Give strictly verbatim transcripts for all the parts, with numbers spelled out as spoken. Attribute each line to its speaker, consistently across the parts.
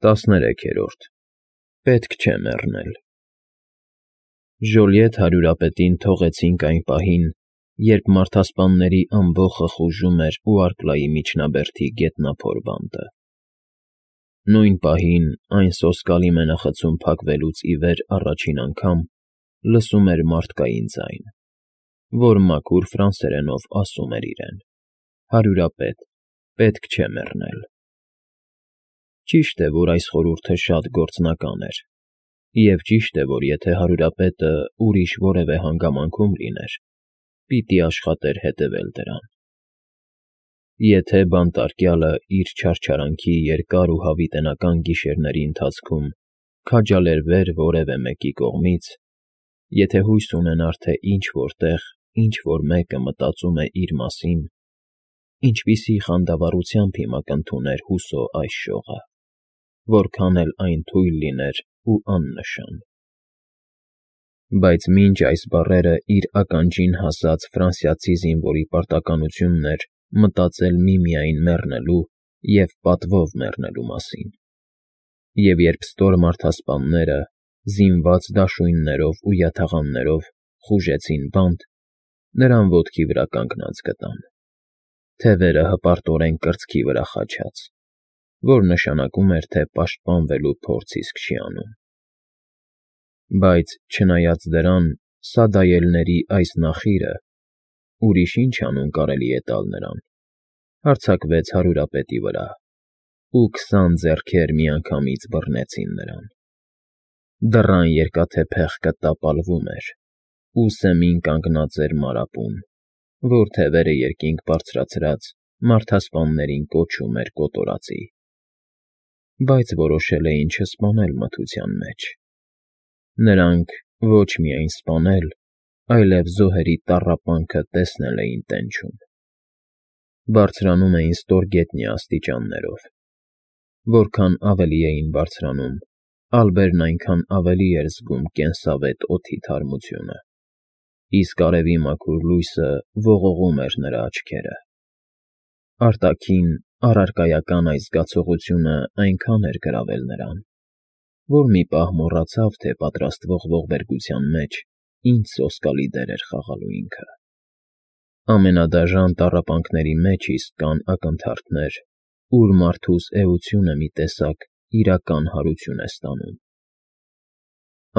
Speaker 1: Տասներեքերորդ Պետք չէ մեռնել։ Ժոլիետ հարյուրապետին թողեցինք այն պահին, երբ մարդասպանների ամբոխը խուժում էր ու Արկլայի միջնաբերդի գետնափոր բանտը։ Նույն պահին այն սոսկալի մենախցում փակվելուց ի վեր առաջին անգամ լսում էր մարդկային ձայն, որ մաքուր ֆրանսերենով ասում էր իրեն. «Հարյուրապետ, պետք չէ մեռնել»։ Ճիշտ է, որ այս խորհուրդը շատ գործնական էր, և ճիշտ է, որ եթե հարյուրապետը ուրիշ որևէ հանգամանքում լիներ, պիտի աշխատեր հետևել դրան։ Եթե բանտարկյալը իր չարչարանքի երկար ու հավիտենական գիշերների ընթացքում քաջալերվեր որևէ մեկի կողմից, եթե հույս ունենար, թե ինչ֊որ տեղ ինչ֊որ մեկը մտածում է իր մասին, ինչպիսի խանդավառությամբ հիմա կընդուներ հուսո այս շողը, որքան էլ այն թույլ լիներ ու աննշան։ Բայց մինչ այս բառերը իր ականջին հասած ֆրանսիացի զինվորի պարտականությունն էր մտածել միմիայն մեռնելու և պատվով մեռնելու մասին, և երբ ստոր մարդասպանները, զինված դաշույններով ու յաթաղաններով խուժեցին բանտ, նրան ոտքի վրա կանգնած գտան, թևերը հպարտորեն կրծքի վրա խաչած, որ նշանակում էր, թե պաշտպանվելու փորձ իսկ չի անում։ Բայց, չնայած դրան, սադայելների այս նախիրը (ուրիշ ի՞նչ անուն կարելի է տալ նրան) հարձակվեց հարյուրապետի վրա, ու քսան ձեռքեր միանգամից բռնեցին նրան։ Դռան երկաթե փեղկը տապալվում էր, ու սեմին կանգնած էր մարապուն, որ թևերը երկինք բարձրացրած մարդասպաններին կոչում էր կոտորածի։ Բայց որոշել էին չսպանել մթության մեջ։ Նրանք ոչ միայն սպանել, այլև զոհերի տառապանքը տեսնել էին տենչում։ Բարձրանում էին ստորգետնյա աստիճաններով։ Որքան ավելի էին բարձրանում, ալբերն այնքան ավելի էր զգում կենսավետ օդի թարմությունը, իսկ արևի մաքուր լույսը ողողում էր նրա աչքերը։ Արտաքին, առարկայական այս զգացողությունը այնքան էր գրավել նրան, որ մի պահ մոռացավ, թե պատրաստվող ողբերգության մեջ ինչ սոսկալի դեր էր խաղալու ինքը։ Ամենադաժան տառապանքների մեջ իսկ կան ակնթարթներ, ուր մարդուս էությունը մի տեսակ իրական հարություն է ստանում։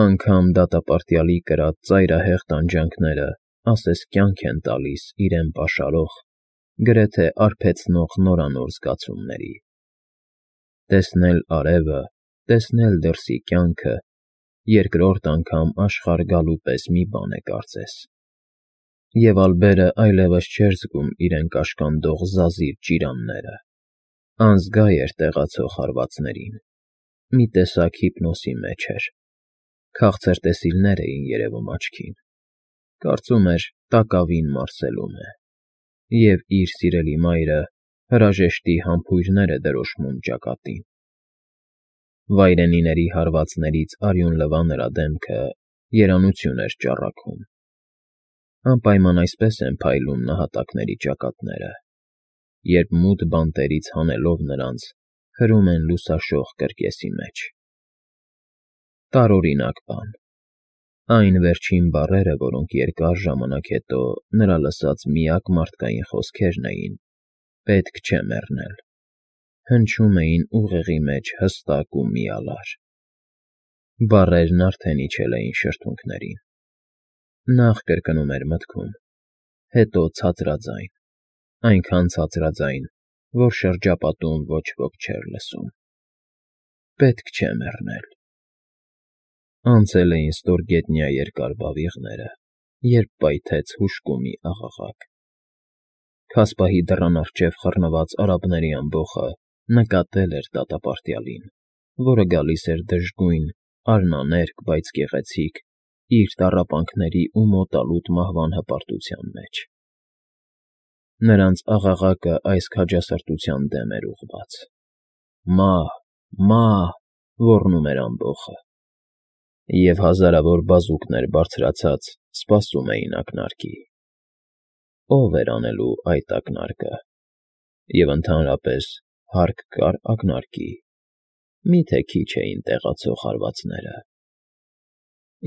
Speaker 1: Անգամ դատապարտյալի կրած ծայրահեղ տանջանքները ասես կյանք են տալիս իրեն պաշարող, գրեթե արբեցնող նորանոր զգացումների։ Տեսնել արևը, տեսնել դրսի կյանքը երկրորդ անգամ աշխարհ գալու պես մի բան է կարծես։ Եվ ալբերը այլևս չէր զգում իրեն կաշկանդող զազիր ճիրանները, անզգա էր տեղացող հարվածներին, մի տեսակ հիպնոսի մեջ էր, քաղցր տեսիլներ էին երևում աչքին, կարծում էր տակավին մարսելում է, և իր սիրելի մայրը հրաժեշտի համբույրներ է դրոշմում ճակատին։ Վայրենիների հարվածներից արյուն լվա նրա դեմքը երանություն էր ճառագում։ Անպայման այսպես են փայլում նահատակների ճակատները, երբ մութ բանտերից հանելով նրանց, հրում են լուսաշող կրկեսի մեջ։ Տարօրինակ բան։ Այն վերջին բառերը, որոնք երկար ժամանակ հետո նրա լսած միակ մարդկային խոսքերն էին. «Պետք չէ մեռնել», հնչում էին ուղեղի մեջ հստակ ու միալար։ Բառերն արդեն իջել էին շրթունքներին։ Նախ կրկնում էր մտքում, հետո ցածրաձայն, այնքան ցածրաձայն, որ շրջապատում ոչ ոք չէր լսում։ Պետք չէ մեռնել։ Անցել էին ստորգետնյա երկար բավիղները, երբ պայթեց հուժկումի աղաղակ։ Քասպահի դռան առջև խռնված արաբների ամբոխը նկատել էր դատապարտյալին, որը գալիս էր դժգույն, արնաներկ, բայց գեղեցիկ, իր տառապանքների ու մոտալուտ մահվան հպարտության մեջ։ Նրանց աղաղակը այս քաջասրտության դեմ էր ուղղված։ «Մահ, մահ», ոռնում էր ամբոխը, և հազարավոր բազուկներ բարձրացած սպասում էին ակնարկի։ Ո՞վ էր անելու այդ ակնարկը, և ընդհանրապես հարկ կա՞ր ակնարկի։ Մի՞թե քիչ էին տեղացող հարվածները։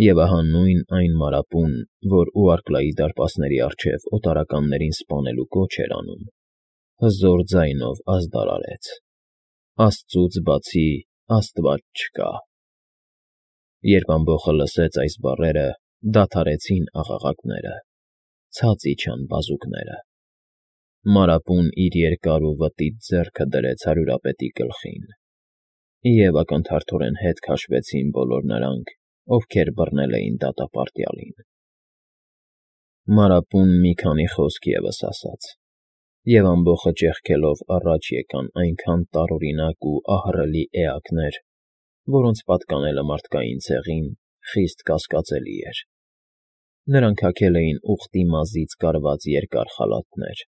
Speaker 1: Եվ ահա նույն այն մարապուն, որ Ուարկլայի դարպասների առջև օտարականներին սպանելու կոչ էր անում, հզոր ձայնով ազդարարեց. «Աստծուց բացի աստված չկա»։ Երբ ամբոխը լսեց այս բառերը, դադարեցին աղաղակները, ցած իջան բազուկները։ Մարապուն իր երկար ու վտիտ ձեռքը դրեց հարյուրապետի գլխին, և ակնթարթորեն հետ քաշվեցին բոլոր նրանք, ովքեր բռնել էին դատապարտյալին։ Մարապուն մի քանի խոսք ևս ասաց, և ամբոխը ճեղքելով առաջ եկան այնքան տարօրինակ ու ահռելի էակներ, որոնց պատկանելը մարդկային ցեղին խիստ կասկածելի էր։ Նրանք հագել էին ուղտի մազից կարված երկար խալաթներ,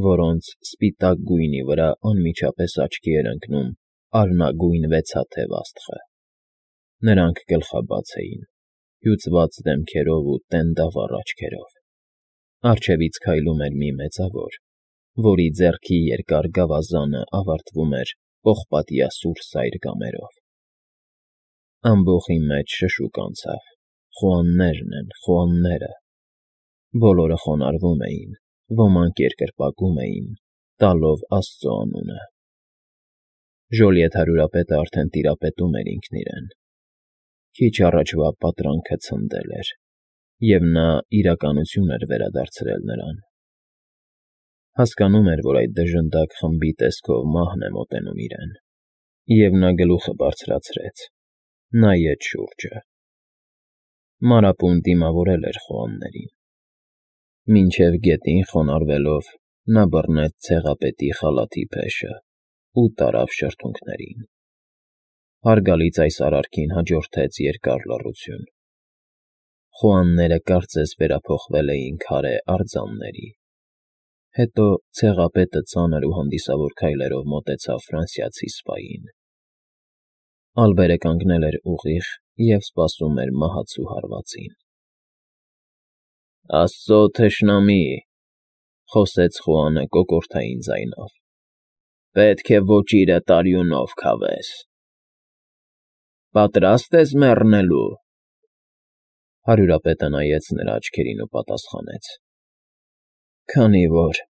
Speaker 1: որոնց սպիտակ գույնի վրա անմիջապես աչքի էր ընկնում արնագույն վեցաթև աստղը։ Նրանք գլխաբաց էին, հյուծված դեմքերով ու տենդավառ աչքերով։ Առջևից քայլում էր մի մեծավոր, որի ձեռքի երկար գավազանը ավարտվում էր պողպատյա սուր սայր կամերով։ Ամբոխի մեջ շշուկ անցավ. «Խոհաններն են, խոհանները»։ Բոլորը խոնարհվում էին, ոմանք երկրպագում էին, տալով աստծո անունը։ Ժոլիետ հարյուրապետը արդեն տիրապետում էր ինքն իրեն։ Քիչ առաջվա պատրանքը ցնդել էր, և նա իրականություն էր վերադարձրել նրան։ Հասկանում էր, որ այդ դժնդակ խմբի տեսքով մահն է մոտենում իրեն, և նա գլուխը բարձրացրեց, նայեց շուրջը։ Մանրապուն դիմավորել էր խոհաններին։ Մինչև գետին խոնարհվելով՝ նա բռնեց ցեղապետի խալաթի փեշը ու տարավ շրթունքներին։ Հարգալից այս արարքին հաջորդեց երկար լռություն։ Խոհանները կարծես վերափոխվել էին քարե արձանների։ Հետո ցեղապետը ծանր ու հանդիսավոր քայլերով մոտեցավ ֆրանսիացի սպային։ Ալբերը կանգնել էր ուղիղ և սպասում էր մահացու հարվածին։ ֊ Աստծո թշնամի,֊ խոսեց Խոհանը կոկորդային ձայնով,֊ պետք է ոճիրդ արյունով քավես։ ֊ Պատրա՞ստ ես մեռնելու։ Հարյուրապետը նայեց նրա աչքերին ու պատասխանեց. ֊ Քանի որ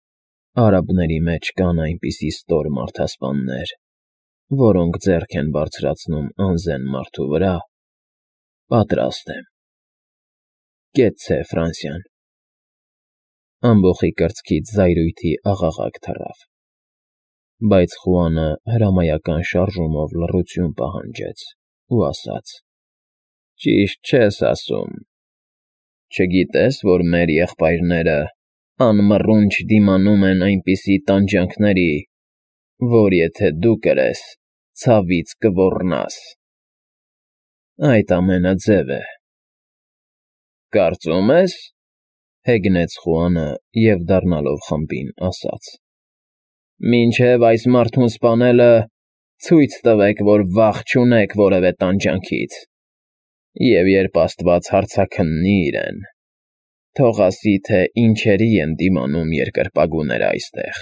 Speaker 1: արաբների մեջ կան այնպիսի ստոր մարդասպաններ, որոնք ձեռք են բարձրացնում անզեն մարդու վրա, պատրաստ եմ։ Կեցցե Ֆրանսիան։ Ամբոխի կրծքից զայրույթի աղաղակ թռավ։ Բայց Խոհանը հրամայական շարժումով լռություն պահանջեց ու ասաց. ֊ Ճիշտ չես ասում։ Չգիտե՞ս, որ մեր եղբայրները անմռունչ դիմանում են այնպիսի տանջանքների, որ եթե դու կրես, ցավից կոռնաս։ Այդ ամենը ձև է։ ֊ Կարծում ես,֊ հեգնեց Խոհանը և, դառնալով խմբին, ասաց. «Մինչև այս մարդուն սպանելը ցույց տվեք, որ վախ չունեք որևէ տանջանքից, և երբ աստված հարցաքննի իրեն, թող ասի, թե ինչերի են դիմանում երկրպագուները այստեղ,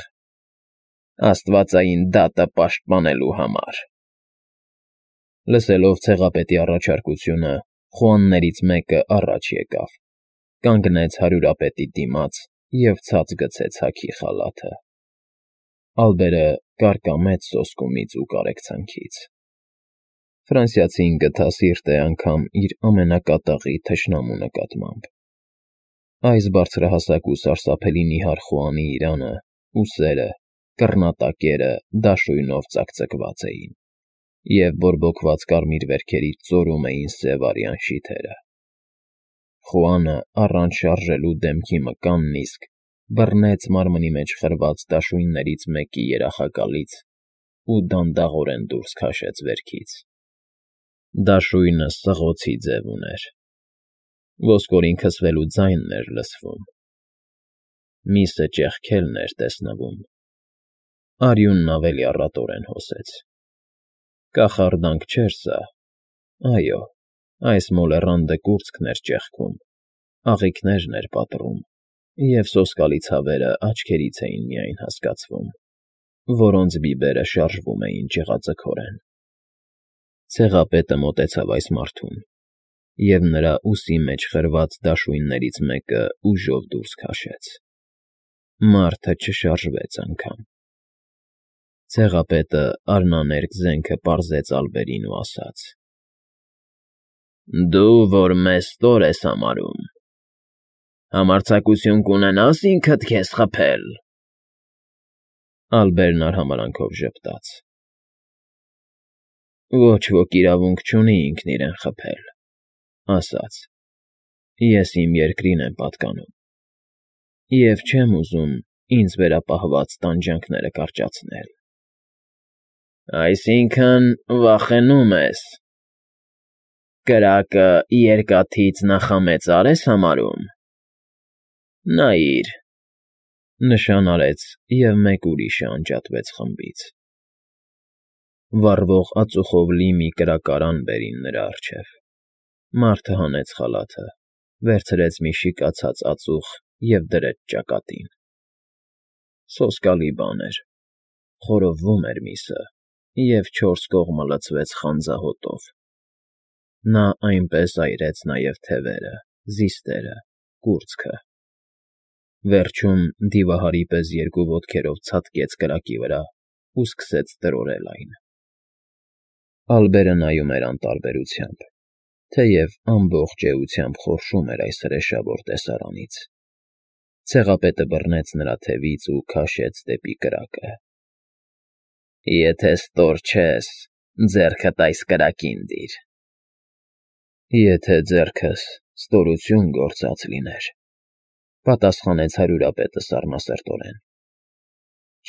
Speaker 1: աստվածային դատը պաշտպանելու համար»։ Լսելով ցեղապետի առաջարկությունը, խոհաններից մեկը առաջ եկավ, կանգնեց հարյուրապետի դիմաց և ցած գցեց հագի խալաթը։ Ալբերը կարկամեց սոսկումից ու կարեկցանքից։ Ֆրանսիացին գթա սիրտ է անգամ իր ամենակատաղի թշնամու նկատմամբ։ Այս բարձրահասակ ու սարսափելի նիհար խոհանի իրանը ու սերը, կռնատակերը դաշույնով ծակծկված էին, և բորբոքված կարմիր վերքերից ծորում էին սև արյան շիթերը։ Խոհանը, առանց շարժելու դեմքի մկանն իսկ, բռնեց մարմնի մեջ խրված դաշույններից մեկի երախակալից ու դանդաղորեն դուրս քաշեց վերքից։ Դաշույնը սղոցի ձև ուներ։ Ոսկորին քսվելու ձայնն էր լսվում։ Միսը ճեղքելն էր տեսնվում։ Արյունն ավելի առատորեն հոսեց։ Կախարդանք չէր սա։ Այո, այս մոլեռանդը կուրծքն էր ճեղքում, աղիքներն էր պատռում, և սոսկալի ցավերը աչքերից էին միայն հասկացվում, որոնց բիբերը շարժվում էին ճղածքորեն։ Ցեղապետը մոտեցավ այս մարդուն, և նրա ուսի մեջ խրված դաշույններից մեկը ուժով դուրս քաշեց։ Մարդը չշարժվեց անգամ։ Ցեղապետը արնաներկ զենքը պարզեց Ալբերին ու ասաց. «Դու, որ մեզ ստոր ես համարում, համարձակություն կունենա՞ս ինքդ քեզ խփել»։ Ալբերն արհամարհանքով ժպտաց. «Ոչ ոք իրավունք չունի ինքն իրեն խփել, ասաց. ես իմ երկրին եմ պատկանում և չեմ ուզում ինձ վերապահված տանջանքները կարճացնել»։ «Այսինքն՝ վախենում ես, կրակը երկաթից նախամեծա՞ր ես համարում։ Նայիր»։ Նշան արեց, և մեկ ուրիշը անջատվեց խմբից։ Վառվող ածուխով լի մի կրակարան բերին նրա առջև։ Մարդը հանեց խալաթը, վերցրեց մի շիկացած ածուխ և դրեց ճակատին։ Սոսկալի բան էր, խորովվում էր միսը, և չորս կողմը լցվեց խանձահոտով։ Նա այնպես այրեց նաև թևերը, զիստերը, կուրծքը։ Վերջում դիվահարի պես երկու ոտքերով ցատկեց կրակի վրա ու սկսեց տրորել այն։ Ալբերը նայում էր անտարբերությամբ, թեև ամբողջ էությամբ խորշում էր այս հրեշավոր տեսարանից։ Ցեղապետը բռնեց նրա թևից ու քաշեց դեպի կրակը։ «Եթե ստոր չես, ձեռքդ այս կրակին դիր»։ «Եթե ձեռքս ստորություն գործած լիներ», պատասխանեց հարյուրապետը սառնասրտորեն,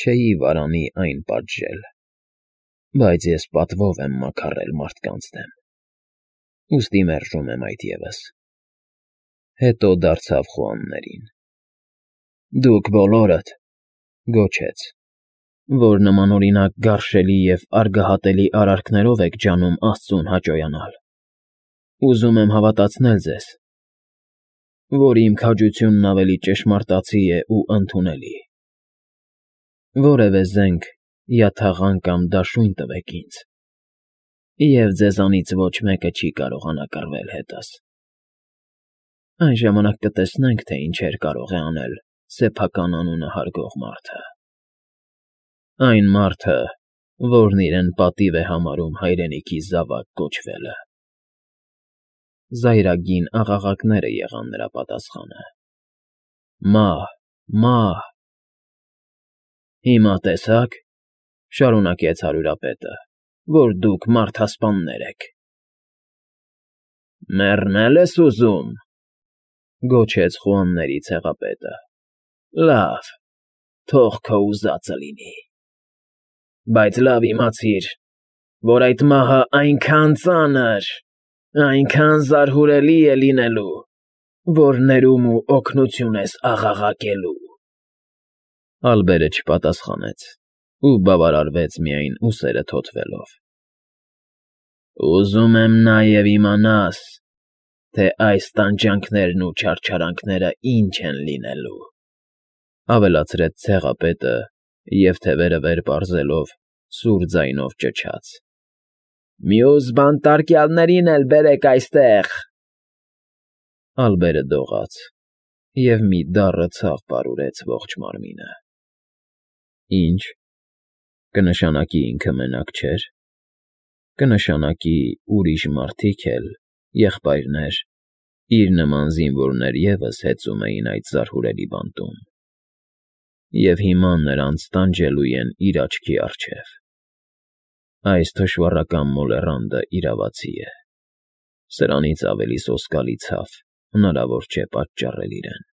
Speaker 1: «չէի վարանի այն պատժել, բայց ես պատվով եմ մաքարել մարդկանց դեմ, ուստի մերժում եմ այդ ևս»։ Հետո դարձավ խոհաններին. «Դուք բոլորդ,֊ գոչեց,֊ որ նմանօրինակ գարշելի և արգահատելի արարքներով եք ջանում աստծուն հաճոյանալ, ուզում եմ հավատացնել ձեզ, որ իմ քաջությունն ավելի ճշմարտացի է ու ընդունելի։ Որևէ զենք, յաթաղան կամ դաշույն տվեք ինձ, և ձեզանից ոչ մեկը չի կարողանա կռվել հետս։ Այն ժամանակ կտեսնենք, թե ինչեր կարող է անել սեփական անունը հարգող մարդը։ Այն մարդը, որն իրեն պատիվ է համարում հայրենիքի զավակ կոչվելը»։ Զայրագին աղաղակները եղան նրա պատասխանը. «Մահ, մահ»։ «Հիմա տեսա՞ք,֊ շարունակեց հարյուրապետը,֊ որ դուք մարդասպաններ եք»։ «Մեռնե՞լ ես ուզում,֊ գոչեց խոհանների ցեղապետը։ Լավ, թող քո ուզածը լինի։ Բայց լավ իմացիր, որ այդ մահը այնքան ծանր, այնքան զարհուրելի է լինելու, որ ներում ու օգնություն ես աղաղակելու»։ Ալբերը չպատասխանեց ու բավարարվեց միայն ուսերը թոթվելով։ «Ուզում եմ նաև իմանաս, թե այս տանջանքներն ու չարչարանքները ինչ են լինելու», ավելացրեց ցեղապետը և, թևերը վեր պարզելով, սուր ձայնով ճչաց. «Մյուս բանտարկյալներին էլ բերեք այստեղ»։ Ալբերը դողաց և մի դառը ցավ պարուրեց ողջ մարմինը։ Ի՞նչ, կնշանակի ինքը մենակ չէր։ Կնշանակի ուրիշ մարդիկ էլ, եղբայրներ, իր նման զինվորներ ևս հեծում էին այդ զարհուրելի բանտում, և հիմա նրանց տանջելու են իր աչքի առջև։ Այս թշվառական մոլեռանդը իրավացի է։ Սրանից ավելի սոսկալի ցավ հնարավոր չէ պատճառել իրեն։